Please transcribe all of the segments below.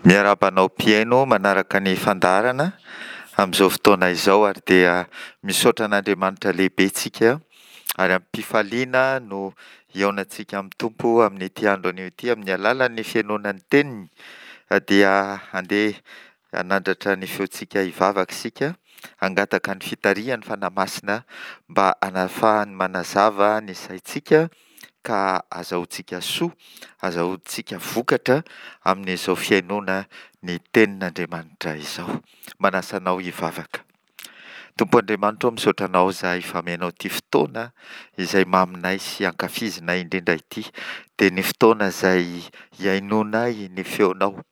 Miarahaba anao mpihaino manaraka ny fandaharana amin'izao fotoana izao ary dia misaotra an'Andriamanitra lehibe tsika ary amim-pifaliana no hihaonantsika amin'ny Tompo amin'ity andro anio ity amin'ny alalan'ny fihainoana ny teniny dia handeha hanandratra ny feontsika hivavaka isika hangataka ny fitarihan'ny Fanahy Masina mba hanafahany manazava ny saintsika ka azahoantsika soa, azahoantsika vokatra amin'izao fihainoana ny tenin'Andriamanitra izao. Manasa anao hivavaka. Tompo Andriamanitra ô, misaotra Anao izahay fa amenao ity fotoana izay maminay sy ankafizinay indrindra ity, dia ny fotoana izay hihainoanay ny feonao.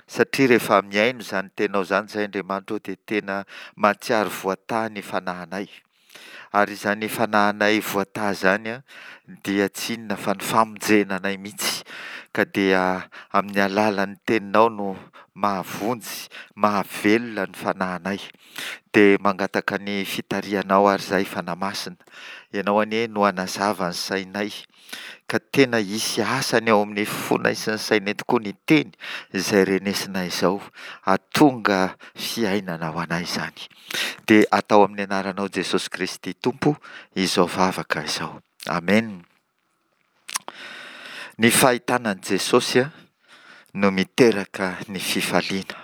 Satria rehefa mihaino izany teninao izany izahay Andriamanitra ô dia tena mahatsiaro voatahy ny fanahinay. Ary izany fanahinay voatahy izany dia tsy inona fa ny famonjena anay mihitsy. Ka dia amin'ny alalan'ny teninao no mahavonjy, mahavelona ny fanahinay. Dia mangataka ny fitarihanao ary izahay Fanahy Masina. Ianao anie no hanazava ny sainay. Ka tena hisy asany ao amin'ny fonay sy ny sainay tokoa ny teny izay renesinay izao. Hahatonga fiainana ho anay izany. Dia atao amin'ny anaranao Jesosy Kristy Tompo izao vavaka izao. Amen. Ny fahitana an'i Jesosy no miteraka ny fifaliana.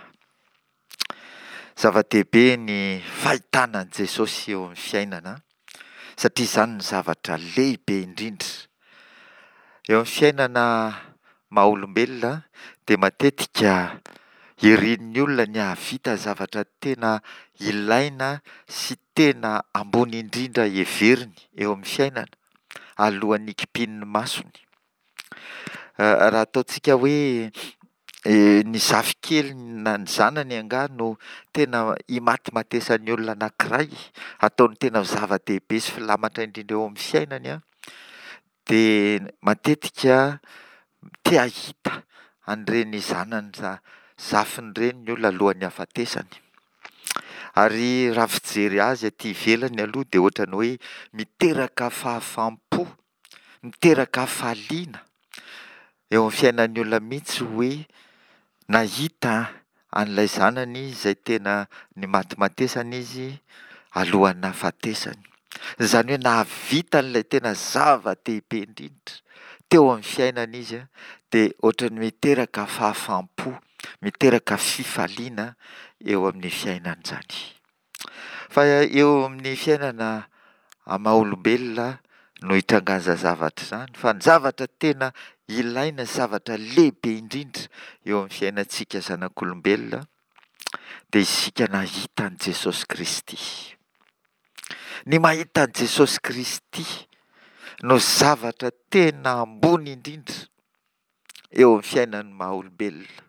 Zava-dehibe ny fahitana an'i Jesosy eo amin'ny fiainana satria izany no zavatra lehibe indrindra. Eo amin'ny fiainana maha olombelona dia matetika irin'ny olona ny hahavita zavatra tena ilaina sy tena ambony indrindra heveriny eo amin'ny fiainana alohan'ny hikipian'ny masony. Raha ataontsika hoe ny zafikeliny na ny zanany angaha no tena imatimatesan'ny olona anankiray, ataony tena zava-dehibe sy filamatra indrindra eo amin'ny fiainany an, dia matetika te hahita an'ireny zanany zafiny ireny ny olona alohan'ny hahafatesany. Ary raha fijery azy aty ivelany aloha dia ohatran'ny hoe miteraka fahafaham-po Miteraka hafaliana eo amin'ny fiainan'ny olona mihitsy hoe nahita an'ilay zanany izay tena nimatimatesana izy alohan'ny nahafatesany. Izany hoe nahavita an'ilay tena zava-dehibe indrindra teo amin'ny fiainany izy dia ohatran'ny miteraka fahafaham-po, miteraka fifaliana eo amin'ny fiainany izany. Fa eo amin'ny fiainana amin'ny maha olombelona no hitrangan'izany zavatra izany, fa ny zavatra tena ilaina sy zavatra lehibe indrindra eo amin'ny fiainantsika zanak'olombelona dia isika nahita an'i Jesosy Kristy. Ny mahita an'i Jesosy Kristy no zavatra tena ambony indrindra eo amin'ny fiainan'ny maha olombelona,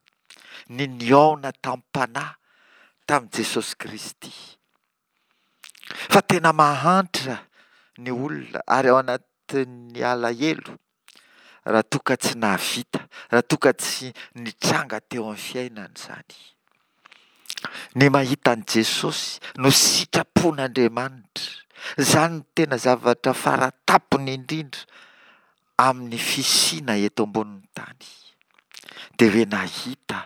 ny nihaona tamim-panahy tamin'i Jesosy Kristy. Fa tena mahantra ny olona ary ao anatin'ny alahelo raha toa ka tsy nahavita, raha toa ka tsy nitranga teo amin'ny fiainany izany. Ny mahita an'i Jesosy no sitrapon'Andriamanitra. Izany no tena zavatra fara-tampony indrindra amin'ny fisiana eto ambonin'ny tany dia hoe nahita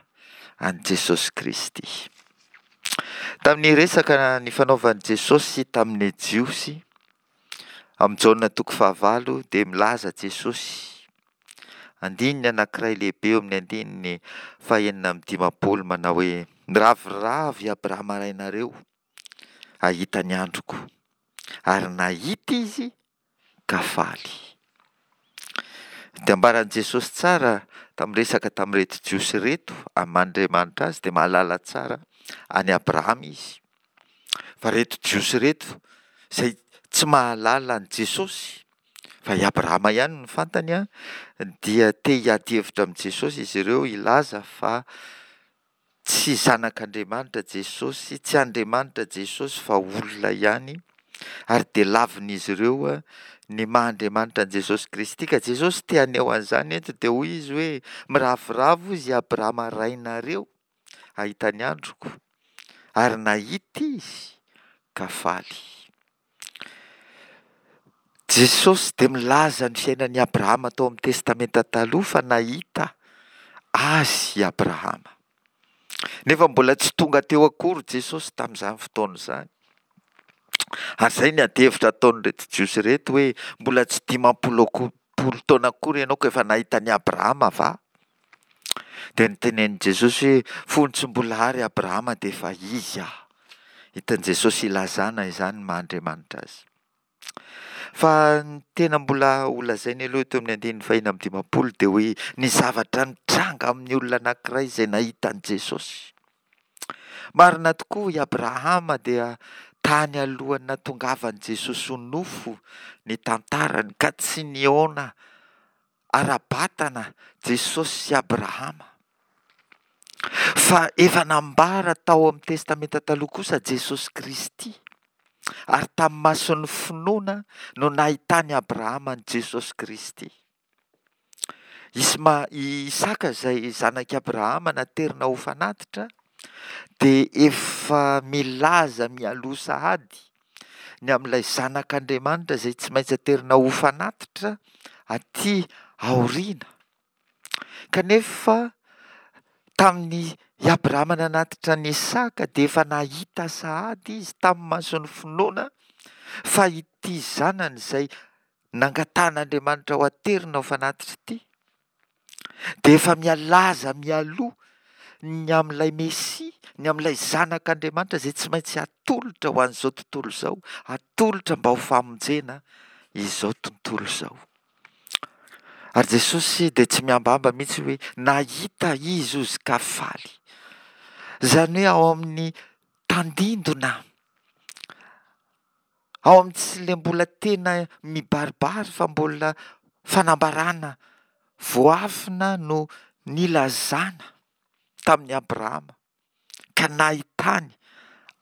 an'i Jesosy Kristy. Tamin'ny resaka nifanaovan'i Jesosy tamin'ny Jiosy, amin'ny Jaona toko fahavalo dia milaza Jesosy, andininy anankiray lehibe eo amin'ny andininy fahenina amby dimampolo manao hoe, Miraviravy i Abrahama rainareo hahita ny androko, ary nahita izy ka faly. Dia ambaran'i Jesosy tsara tamin'ny resaka tamin'ireto Jiosy ireto, amin'ny maha Andriamanitra azy dia mahalala tsara an'i Abrahama izy. Fa ireto Jiosy ireto izay tsy mahalala an'i Jesosy, fa i Abrahama ihany no fantany, dia te hiady hevitra amin'i Jesosy izy ireo hilaza fa Tsy zanak'Andriamanitra Jesosy, tsy Andriamanitra Jesosy fa olona ihany, ary dia lavin'izy ireo ny maha Andriamanitra an'i Jesosy Kristy. Ka Jesosy te haneho an'izany eto dia hoy izy hoe, miravoravo izy Abrahama rainareo hahita ny androko, ary nahita izy ka faly. Jesosy dia milaza ny fiainan'i Abrahama tao amin'ny Testamenta Taloha fa nahita azy i Abrahama. Nefa mbola tsy tonga teo akory Jesosy tamin'izany fotoana izany. Ary izay ny adihevitra ataon'ireto Jiosy ireto hoe mbola tsy 50 akory taona akory ianao ka efa nahita an'i Abrahama va? Dia notenenin'i Jesosy hoe fony tsy mbola ary Abrahama dia efa izy aho. Hitan'i Jesosy ilazana izany ny maha Andriamanitra azy. Fa ny tena mbola holazainy aloha eto amin'ny andininy fahiny amby 50 dia hoe ny zavatra nitranga amin'ny olona anankiray izay nahita an'i Jesosy. Marina tokoa i Abrahama dia tany alohan'ny nahatongavan'i Jesosy ho nofo ny tantarany ka tsy nihaona ara-batana Jesosy sy Abrahama. Fa efa nambara tao amin'ny Testamenta Taloha kosa Jesosy Kristy, ary tamin'ny mason'ny finoana no nahitan'i Abrahama an'i Jesosy Kristy. Isma- i Isaka izay zanak'i Abrahama naterina ho fanatitra dia efa milaza mialoha sahady ny amin'ilay Zanak'Andriamanitra izay tsy maintsy aterina ho fanatitra aty aoriana. Kanefa tamin'ny i Abrahama nanatitra an'i Isaka dia efa nahita sahady izy tamin'ny mason'ny finoana fa ity zanany izay nangatahan'Andriamanitra ho aterina ho fanatitra ity dia efa mialaza mialoha ny amin'ilay Mesia, ny amin'ilay Zanak'Andriamanitra izay tsy maintsy atolotra ho an'izao tontolo izao, atolotra mba ho famonjena izao tontolo izao. Ary Jesosy dia tsy miambamba mihitsy hoe nahita izy ozy ka faly. Izany hoe ao amin'ny tandindona Ao amin'ny tsy le mbola tena mibaribary fa mbola fanambarana voafina no nilazana tamin'i Abrahama ka nahitany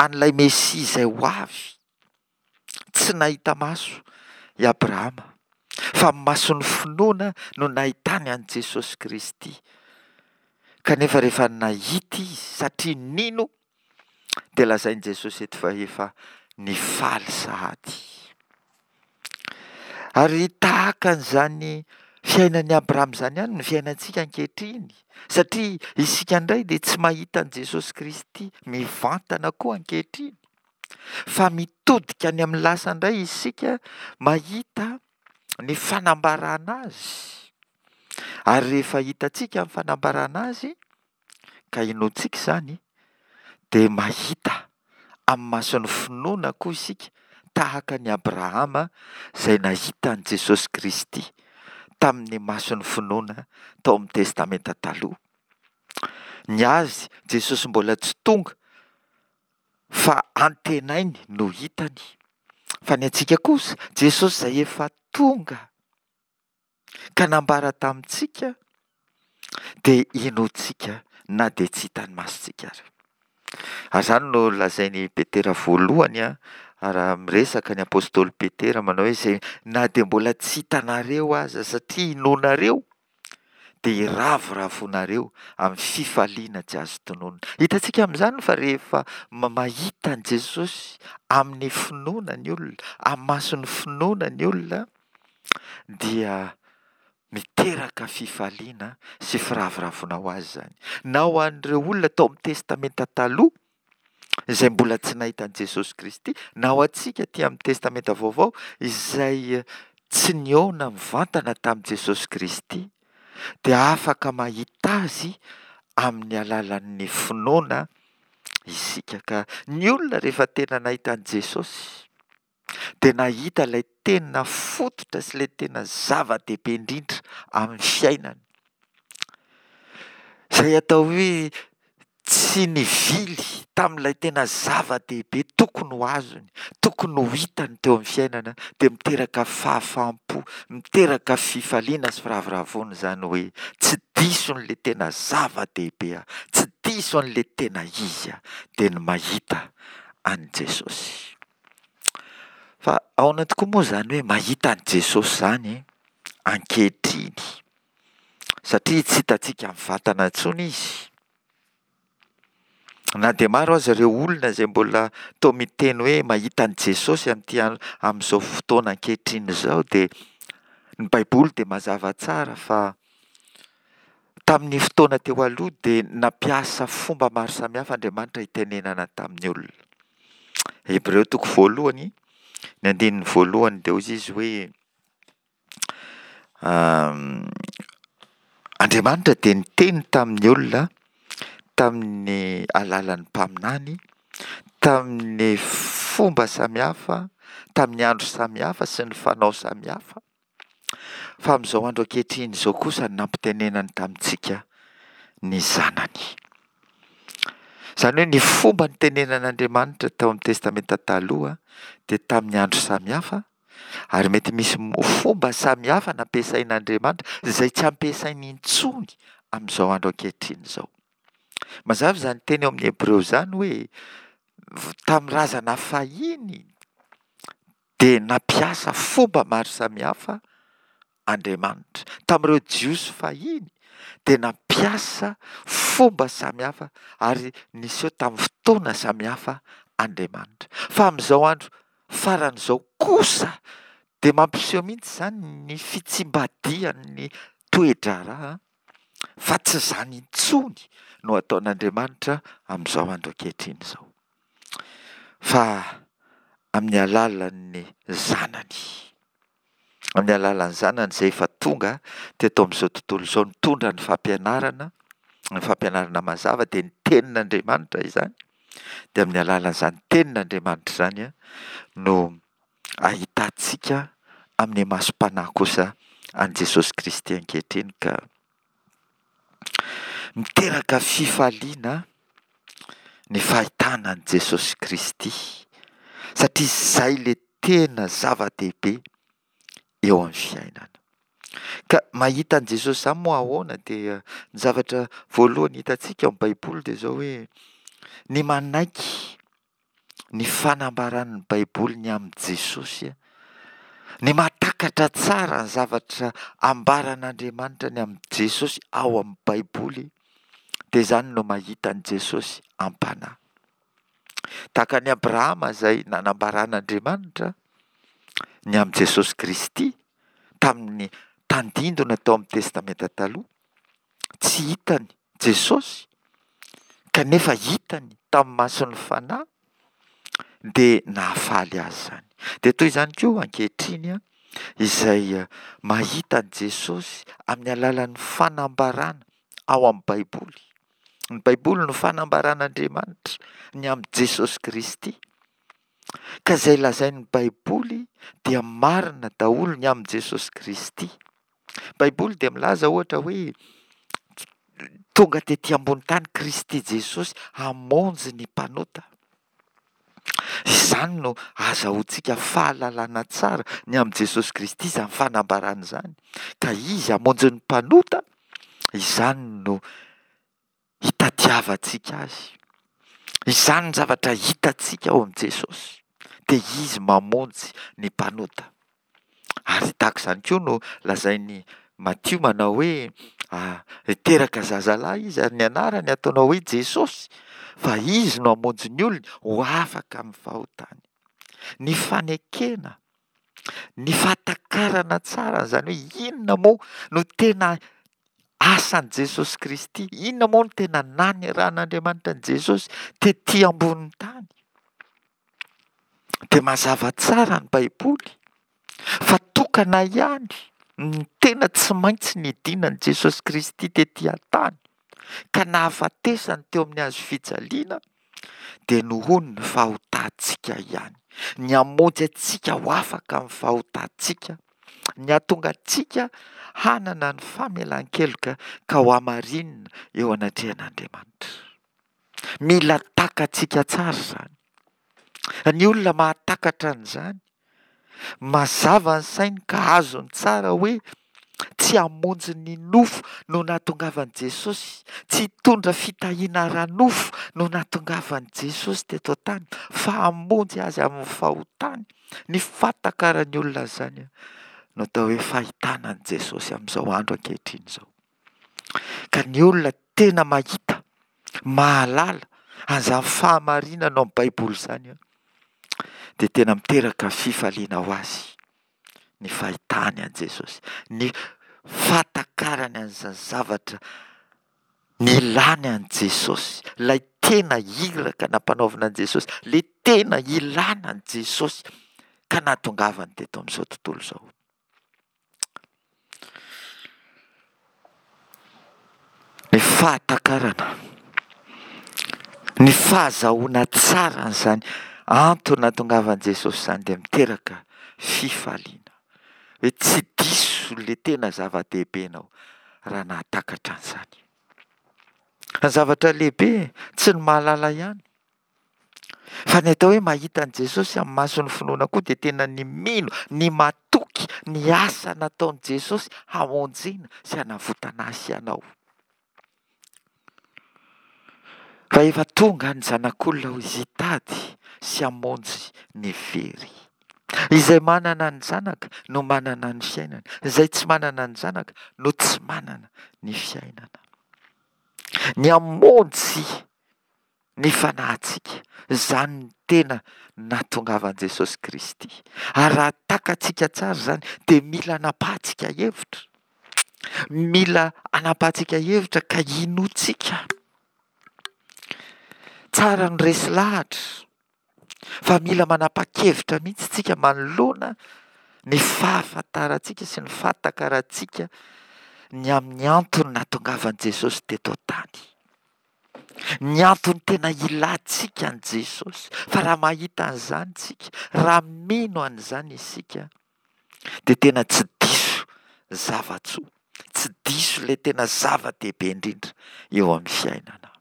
an'ilay Mesia izay ho avy. Tsy nahita maso i Abrahama fa ny mason'ny finoana no nahitany an'i Jesosy Kristy. Kanefa rehefa nahita izy satria nino Dia lazain'i Jesosy eto fa efa nifaly sahady. Ary tahaka an'izany fiainan'i Abrahama izany ihany ny fiainantsika ankehitriny, satria isika indray dia tsy mahita an'i Jesosy Kristy mivantana koa ankehitriny, fa mitodika any amin'ny lasa indray isika mahita ny fanambarana azy. Ary rehefa hitantsika ny fanambarana azy, ka inoantsika izany dia mahita amin'ny mason'ny finoana koa isika tahaka an'i Abrahama izay nahita an'i Jesosy Kristy tamin'ny mason'ny finoana tao amin'ny Testamenta Taloha. Ny azy Jesosy mbola tsy tonga fa antenainy no hitany. Fa ny antsika kosa Jesosy izay efa tonga ka nambara tamintsika dia inoantsika na dia tsy hitan'ny masontsika ary. Ary izany no lazain'i Petera voalohany raha miresaka ny apostoly Petera manao hoe izay na dia mbola tsy hitanareo aza satria inoanareo dia hiravoravoanareo amin'ny fifaliana tsy azo tononina. Hitantsika amin'izany fa rehefa mahita an'i Jesosy amin'ny finoana ny olona, amin'ny mason'ny finoana ny olona dia miteraka fifaliana sy firavoravoana ho azy izany. Na ho an'ireo olona tao amin'ny Testamenta Taloha izay mbola tsy nahita an'i Jesosy Kristy, na ho antsika aty amin'ny Testamenta Vaovao izay tsy nihaona mivantana tamin'i Jesosy Kristy, dia afaka mahita Azy amin'ny alalan'ny finoana isika. Ka ny olona rehefa tena nahita an'i Jesosy, dia nahita ilay tena fototra sy ilay tena zava-dehibe indrindra amin'ny fiainany. Izay atao hoe tsy nivily tamin'ilay tena zava-dehibe tokony ho azony, tokony ho hitany teo amin'ny fiainana, dia miteraka fahafaham-po, miteraka fifaliana sy firavoravoana izany hoe tsy diso an'ilay tena zava-dehibe aho, tsy diso an'ilay tena izy aho, dia ny mahita an'i Jesosy. Fa ahoana tokoa moa izany hoe mahita an'i Jesosy izany ankehitriny? Satria tsy hitantsika mivantana intsony Izy. Na dia maro aza ireo olona izay mbola toa miteny hoe mahita an'i Jesosy amin'ity amin'izao fotoana ankehitriny izao dia ny Baiboly dia mazava tsara fa. Tamin'ny fotoana teo aloha dia nampiasa fomba maro samihafa Andriamanitra hitenenana tamin'ny olona. Hebreo toko voalohany, ny andininy voalohany dia hoy izy hoe Andriamanitra dia niteny tamin'ny olona tamin'ny alalan'ny mpaminany, tamin'ny fomba samihafa, tamin'ny andro samihafa sy ny fanao samihafa. Fa amin'izao andro ankehitriny izao kosa no nampitenenany tamintsika ny Zanany. Izany hoe ny fomba nitenenan'Andriamanitra tao amin'ny Testamenta Taloha dia tamin'ny andro samihafa, ary mety misy fomba samihafa nampiasain'Andriamanitra izay tsy ampiasainy intsony amin'izao andro ankehitriny izao. Mazava izany teny ao amin'ny Hebreo izany hoe tamin'ny razana fahiny dia nampiasa fomba maro samihafa Andriamanitra. Tamin'ireo Jiosy fahiny dia nampiasa fomba samihafa ary niseho tamin'ny fotoana samihafa Andriamanitra. Fa amin'izao andro farany izao kosa dia mampiseho mihitsy izany ny fitsimbadihan'ny toe-draharaha fa tsy izany intsony no ataon'Andriamanitra amin'izao andro ankehitriny izao. Fa amin'ny alalan'ny Zanany. Amin'ny alalan'ny Zanany izay efa tonga teto amin'izao tontolo izao nitondra ny fampianarana, ny fampianarana mazava dia ny tenin'Andriamanitra izany, dia amin'ny alalan'izany tenin'Andriamanitra izany no ahitantsika amin'ny masom-panahy kosa an'i Jesosy Kristy ankehitriny ka Miteraka fifaliana ny fahitana an'i Jesosy Kristy, satria izay ilay tena zava-dehibe eo amin'ny fiainana. Ka mahita an'i Jesosy izany moa ahoana? Dia ny zavatra voalohany hitantsika ao amin'ny Baiboly dia izao hoe ny manaiky ny fanambaran'ny Baiboly ny amin'i Jesosy, ny mahatakatra tsara ny zavatra ambaran'Andriamanitra ny amin'i Jesosy ao amin'ny Baiboly, dia izany no mahita an'i Jesosy am-panahy. Tahaka an'i Abrahama izay nanambaran'Andriamanitra ny amin'i Jesosy Kristy tamin'ny tandindona tao amin'ny Testamenta Taloha, Tsy hitany Jesosy kanefa hitany tamin'ny mason'ny fanahy dia nahafaly azy izany. Dia toy izany koa ankehitriny izay mahita an'i Jesosy amin'ny alalan'ny fanambarana ao amin'ny Baiboly. Ny Baiboly no fanambaran'Andriamanitra ny amin'i Jesosy Kristy. Ka izay lazain'ny Baiboly dia marina daholo ny amin'i Jesosy Kristy. Baiboly dia milaza ohatra hoe tonga tety ambony tany Kristy Jesosy hamonjy ny mpanota. Izany no azahoantsika fahalalana tsara ny amin'i Jesosy Kristy izany fanambarana izany. Ka izy hamonjy ny mpanota, izany no hitadiavantsika azy. Izany ny zavatra hitantsika ao amin'i Jesosy, dia Izy mamonjy ny mpanota. Ary tahaka izany koa no lazain'i Matio manao hoe hiteraka zazalahy izy ary ny anarany ataonao hoe Jesosy, fa Izy no hamonjy ny olony ho afaka amin'ny fahotany. Ny fanekena, ny fahatakarana tsara an'izany hoe inona moa no tena asan'i Jesosy Kristy, inona moa no tena nanirahan'Andriamanitra an'i Jesosy tety ambonin'ny tany. Dia mazava tsara ny Baiboly fa tokana ihany ny tena tsy maintsy nidinan'i Jesosy Kristy tety an-tany ka nahafatesany teo amin'ny hazo fijaliana dia nohon' ny fahotantsika ihany, ny hamonjy antsika ho afaka amin'ny fahotantsika, ny hahatonga antsika hanana ny famelan-keloka ka ho hamarinina eo anatrehan'Andriamanitra. Mila takatsika tsara izany. Ny olona mahatakatra an'izany Mazava ny sainy ka azony tsara hoe tsy hamonjy ny nofo no nahatongavan'i Jesosy, tsy hitondra fitahiana ara-nofo no nahatongavan'i Jesosy teto an-tany fa hamonjy azy amin'ny fahotany. Ny fahatakaran'ny olona an'izany no atao hoe fahitana an'i Jesosy amin'izao andro ankehitriny izao. Ka ny olona tena mahita, mahalala an'izany fahamarinana ao amin'ny Baiboly izany dia tena miteraka fifaliana ho azy ny fahitany an'i Jesosy, ny fahatakarany an'izany zavatra. Ny ilàny an'i Jesosy, ilay tena iraka nampanaovina an'i Jesosy, ilay tena ilàna an'i Jesosy ka nahatongavany teto amin'izao tontolo izao. Ny fahatakarana, ny fahazahoana tsara an'izany antony nahatongavan'i Jesosy izany dia miteraka fifaliana. Hoe tsy diso ilay tena zava-dehibe ianao raha nahatakatra an'izany. Ny zavatra lehibe tsy ny mahalala ihany. Fa ny atao hoe mahita an'i Jesosy amin'ny mason'ny finoana koa dia tena ny mino, ny matoky ny asa nataon'i Jesosy hamonjena sy hanavotana ahy sy ianao. Fa efa tonga ny Zanak'olona ho izy hitady sy hamonjy ny very. Izay manana ny Zanaka no manana ny fiainana, izay tsy manana ny Zanaka no tsy manana ny fiainana. Ny hamonjy ny fanahintsika, izany no tena nahatongavan'i Jesosy Kristy. Ary raha takatsika tsara izany dia mila anapahantsika hevitra. Mila anapahantsika hevitra ka inoantsika. Tsara ny resy lahatra fa mila manapa-kevitra mihitsy tsika manoloana ny fahafantarantsika sy ny fahatakarantsika ny amin'ny antony nahatongavan'i Jesosy teto an-tany. Ny antony tena ilantsika an'i Jesosy. Fa raha mahita an'izany tsika, raha mino an'izany isika, dia tena tsy diso zava-tsoa, tsy diso ilay tena zava-dehibe indrindra eo amin'ny fiainana.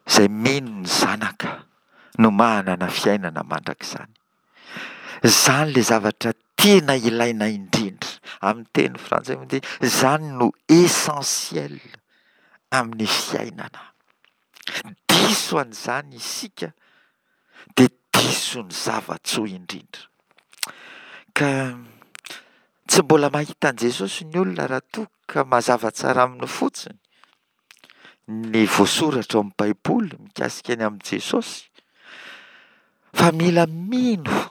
Izay mino ny Zanaka no manana fiainana mandrakizany. Izany ilay zavatra tena ilaina indrindra. Amin'ny teny frantsay moa dia izany no essentiel amin'ny fiainana. Diso an'izany isika dia diso ny zava-tsoa indrindra. Ka tsy mbola mahita an'i Jesosy ny olona raha toa ka mazava tsara aminy fotsiny ny voasoratra ao amin'ny Baiboly mikasika ny amin'i Jesosy fa mila mino,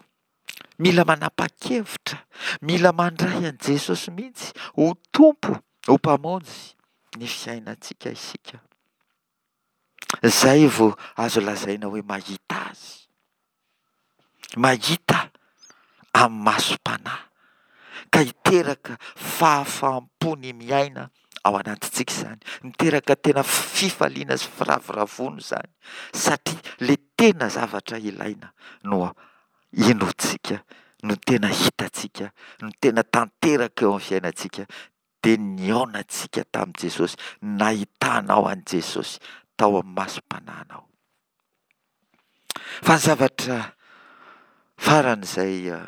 mila manapa-kevitra, mila mandray an'i Jesosy mihitsy ho Tompo, ho Mpamonjy ny fiainantsika isika. Izay vao azo lazaina hoe mahita Azy. Mahita amin'ny masom-panahy ka hiteraka fahafaham-po ny miaina ao anatintsika izany. Miteraka tena fifaliana sy firavoravoana izany satria ilay tena zavatra ilaina no inoantsika, no tena hitantsika, no tena tanteraka eo amin'ny fiainantsika dia nihaonantsika tamin'i Jesosy, nahitanao an'i Jesosy tao amin'ny masom-panahinao. Fa ny zavatra faran'izay eh,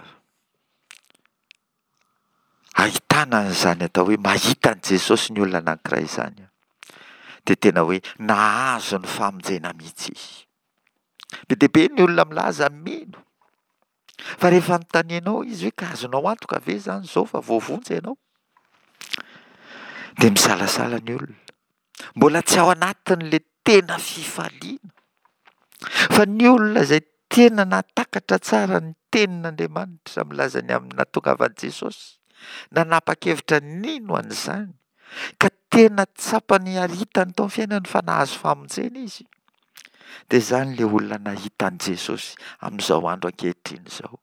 ahitana an'izany atao hoe mahita an'i Jesosy ny olona anankiray izany, dia tena hoe nahazo ny famonjena mihitsy izy. Be dia be ny olona milaza mino, Fa rehefa anontanianao izy hoe ka azonao antoka ve izany izao fa voavonjy ianao? Dia misalasala ny olona. Mbola tsy ao anatin'ilay tena fifaliana. Fa ny olona izay tena nahatakatra tsara ny tenin'Andriamanitra milaza ny amin'ny nahatongavan'i Jesosy, nanapa-kevitra nino an'izany, ka tena tsapany ary hitany tao amin'ny fiainany fa nahazo famonjena izy, dia izany ilay olona nahita an'i Jesosy amin'izao andro ankehitriny izao,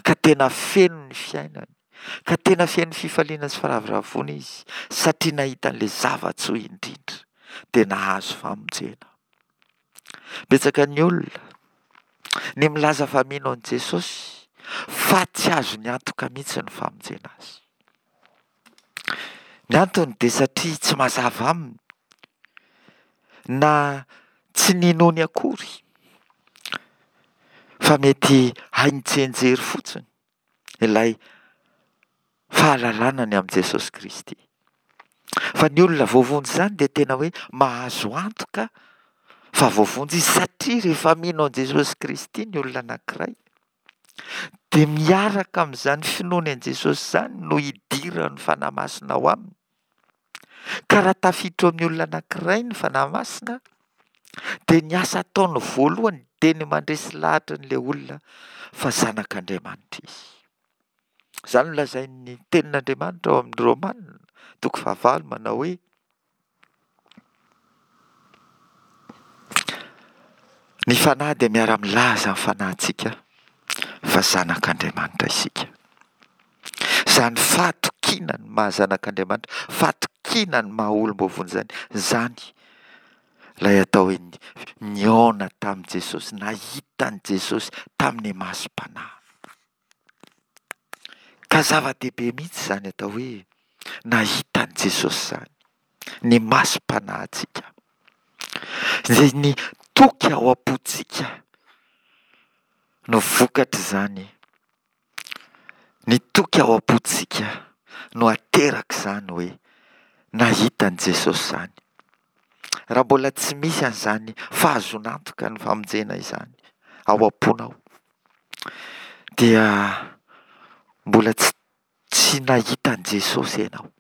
ka tena feno ny fiainany, ka tena feno fifaliana sy firavoravoana izy, satria nahita an'ilay zava-tsoa indrindra, dia nahazo famonjena. Betsaka ny olona ny milaza fa mino an'i Jesosy, fa tsy azony antoka mihitsy ny famonjena azy. Ny antony dia satria tsy mazava aminy na tsy ninoany akory fa mety hainy tsianjery fotsiny ilay fahalalana ny amin'i Jesosy Kristy. Fa ny olona voavonjy izany dia tena hoe mahazo antoka fa voavonjy izy satria rehefa mino an'i Jesosy Kristy ny olona anankiray Dia miaraka amin'izany finoany an'i Jesosy izany no idiran'ny Fanahy Masina ao aminy. Ka raha tafiditra ao amin'ny olona anankiray ny Fanahy Masina, dia ny asa ataony voalohany dia ny mandresy lahatra an'ilay olona fa zanak'Andriamanitra izy. Izany no lazain'ny tenin'Andriamanitra ao amin'ny Romana. toko fahavalo manao hoe, Ny Fanahy dia miara-milaza amin'ny fanahintsika fa zanak'Andriamanitra isika. Izany fahatokiana ny maha zanak'Andriamanitra, fahatokiana ny maha olom-boavonjy izany, izany ilay atao hoe nihaona tamin'i Jesosy, nahita an'i Jesosy tamin'ny masom-panahy. Ka zava-dehibe mihitsy izany atao hoe nahita an'i Jesosy izany, ny masom-panahintsika. Izay ny toky ao am-pontsika no vokatr'izany. Ny toky ao am-pontsika no aterak'izany hoe nahita an'i Jesosy izany. Raha mbola tsy misy an'izany fahazoana antoka ny famonjena izany ao am-ponao, dia mbola tsy tsy nahita an'i Jesosy ianao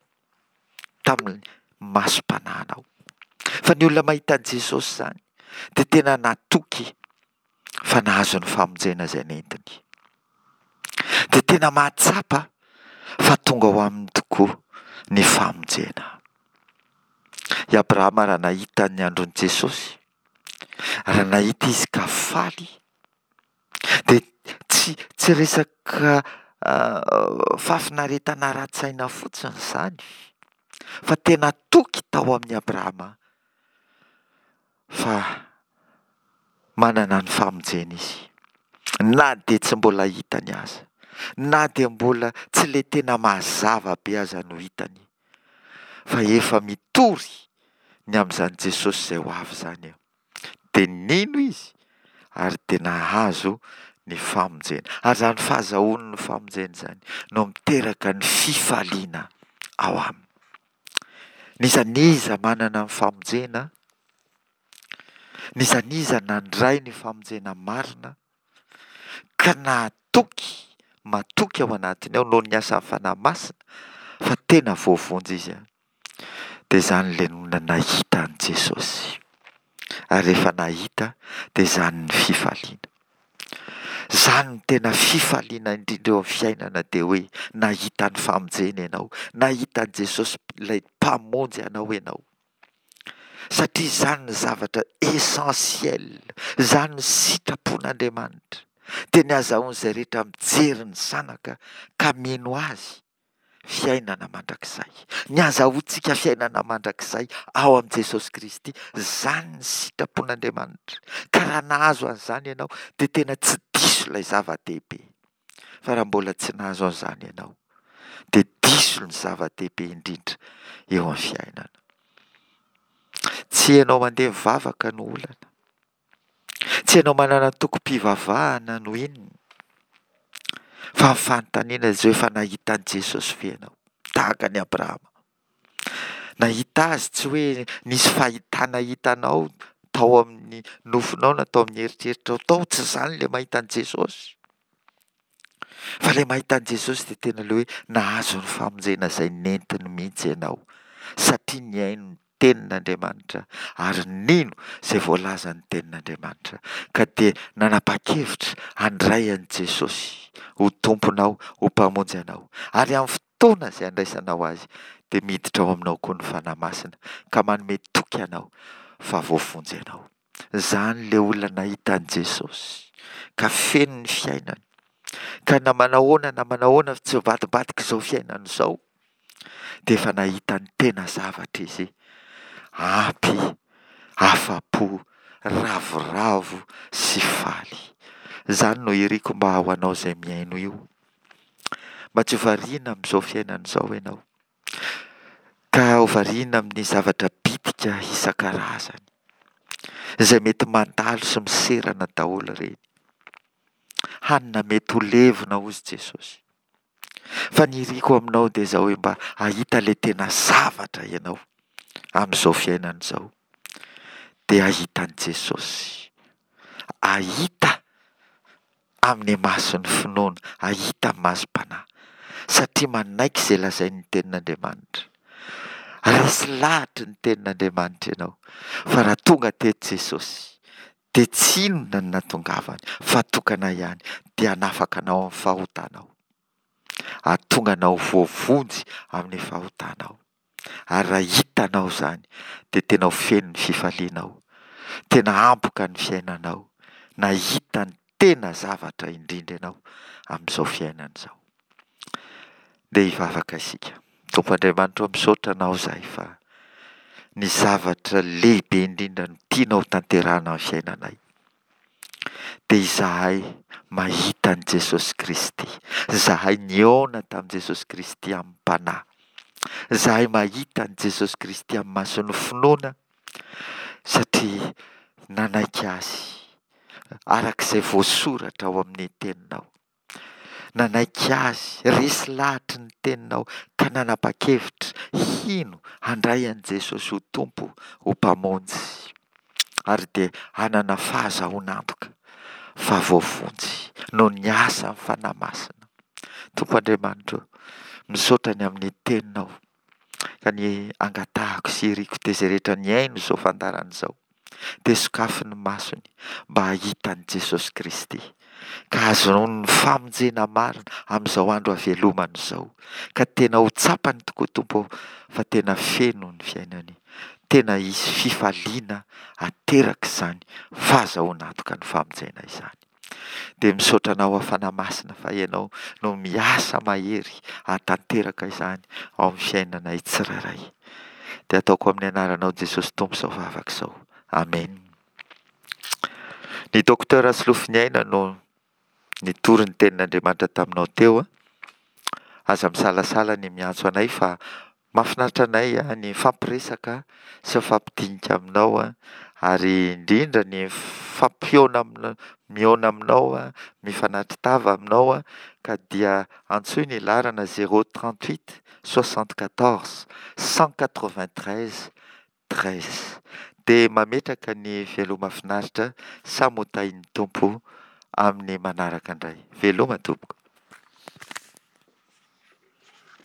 tamin'ny masom-panahinao. Fa ny olona mahita an'i Jesosy izany dia tena natoky fa nahazo ny famonjena izay nentiny. Dia tena mahatsapa fa tonga ao aminy tokoa ny famonjena. I Abrahama raha nahita ny andron'i Jesosy, raha nahita izy ka faly, Dia tsy tsy resaka fahafinaretana ara-tsaina fotsiny izany fa tena toky tao amin'i Abrahama fa manana ny famonjena izy. Na dia tsy mbola hitany aza, na dia mbola tsy ilay tena mazava be aza no hitany, fa efa mitory ny amin'izany Jesosy izay ho avy izany. Dia nino izy ary dia nahazo ny famonjena. Ary izany fahazahoany ny famonjena izany no miteraka ny fifaliana ao aminy. N'iza n'iza manana ny famonjena, n'iza n'iza nandray ny famonjena marina ka nahatoky, matoky ao anatiny ao noho ny asan'ny Fanahy Masina fa tena voavonjy izy. Dia izany ilay nony nahita an'i Jesosy. Ary rehefa nahita dia izany ny fifaliana. Izany no tena fifaliana indrindra eo amin'ny fiainana dia hoe nahita ny famonjena ianao, nahita an'i Jesosy ilay Mpamonjy anao ianao. Satria izany ny zavatra essentiel, izany ny sitrapon'Andriamanitra. Dia ny azahoan'izay rehetra mijery ny Zanaka ka mino Azy fiainana mandrakizay. Ny azahoantsika fiainana mandrakizay ao amin'i Jesosy Kristy, izany ny sitrapon'Andriamanitra. Ka raha nahazo an'izany ianao dia tena tsy diso ilay zava-dehibe. Fa raha mbola tsy nahazo an'izany ianao dia diso ny zava-dehibe indrindra eo amin'ny fiainana. Tsy ianao mandeha mivavaka no olana. Tsy ianao manana antokom-pivavahana no inona, fa ny fanontaniana izao efa nahita an'i Jesosy ve ianao? Tahaka an'i Abrahama. Nahita azy tsy hoe nisy fahitana hitanao tao amin'ny nofinao na tao amin'ny eritreritrao tao, tsy izany ilay mahita an'i Jesosy. Fa ilay mahita an'i Jesosy dia tena ilay hoe nahazo ny famonjena izay nentiny mihitsy ianao, satria nihaino ny Tenin'Andriamanitra ary nino izay voalazan'ny Tenin'Andriamanitra, ka dia nanapa-kevitra handray an'i Jesosy ho Tomponao, ho Mpamonjy anao. Ary amin'ny fotoana izay handraisanao Azy, dia miditra ao aminao koa ny Fanahy Masina, ka manome toky anao fa voavonjy ianao. Izany ilay olona nahita an'i Jesosy ka feno ny fiainany, ka na manahoana na manahoana tsy mivadimbadika izao fiainana izao, dia efa nahita ny tena zavatra izy, ampy, afa-po, ravoravo sy faly. Izany no iriko mba ho anao izay mihaino io. Mba tsy ho variana amin'izao fiainana izao ianao, ka ho variana amin'ny zavatra bitika isan-karazany, izay mety mandalo sy miserana daholo ireny. Hanina mety ho levona hozy Jesosy. Fa ny iriko aminao dia izao hoe mba hahita ilay tena zavatra ianao amin'izao fiainana izao. Dia hahita an'i Jesosy. Hahita amin'ny mason'ny finoana, hahita amin'ny masom-panahy. Satria manaiky izay lazain'ny tenin'Andriamanitra. Resy lahatry ny tenin'Andriamanitra ianao fa raha tonga teto Jesosy dia tsy inona no nahatongavany fa tokana ihany dia hanafaka anao amin'ny fahotanao. Hahatonga anao ho voavonjy amin'ny fahotanao. Ary raha hitanao izany dia tena ho feno ny fifalianao, tena hampoka ny fiainanao, nahita ny tena zavatra indrindra ianao amin'izao fiainana izao. Ndeha hivavaka isika. Tompo Andriamanitra ô, misaotra Anao izahay fa ny zavatra lehibe indrindra no tianao hotanterahina amin'ny fiainanay. Dia izahay mahita an'i Jesosy Kristy. Izahay nihaona tamin'i Jesosy Kristy amim-panahy. Izahay mahita an'i Jesosy Kristy amin'ny mason'ny finoana satria nanaiky Azy araka izay voasoratra ao amin'ny Teninao. Nanaiky Azy, resy lahatry ny Teninao ka nanapa-kevitra hino, handray an'i Jesosy ho Tompo, ho Mpamonjy. Ary dia hanana fahazahoan'antoka fa voavonjy noho ny asan'ny Fanahy Masina. Tompo Andriamanitro, misaotra ny amin'ny Teninao ka ny angatahako sy iriko dia izay rehetra nihaino izao fandaharana izao dia sokafy ny masony mba hahita an'i Jesosy Kristy ka hahazoany ny famonjena marina amin'izao andro havelomany izao ka tena ho tsapany tokoa Tompo ô fa tena feno ny fiainany, tena hisy fifaliana aterak'izany fahazahoana antoka ny famonjena izany. Dia misaotra Anao aho Fanahy Masina fa Ianao no miasa mahery hahatanteraka izany ao amin'ny fiainanay tsirairay. Dia ataoko amin'ny anaranao Jesosy Tompo izao vavaka izao. Amen. Ny Docteur Solofoniaina no nitory ny tenin'Andriamanitra taminao teo. Aza misalasala ny miantso anay fa Mahafinaritra anay ny mifampiresaka sy mifampidinika aminao ary indrindra ny mifampihaona amina mihaona aminao, mifanatri-tava aminao ka dia antsoy ny laharana zéro 38 74 193 13. Dia mametraka ny veloma finaritra samy ho tahin'ny Tompo amin'ny manaraka indray. Veloma tompoko.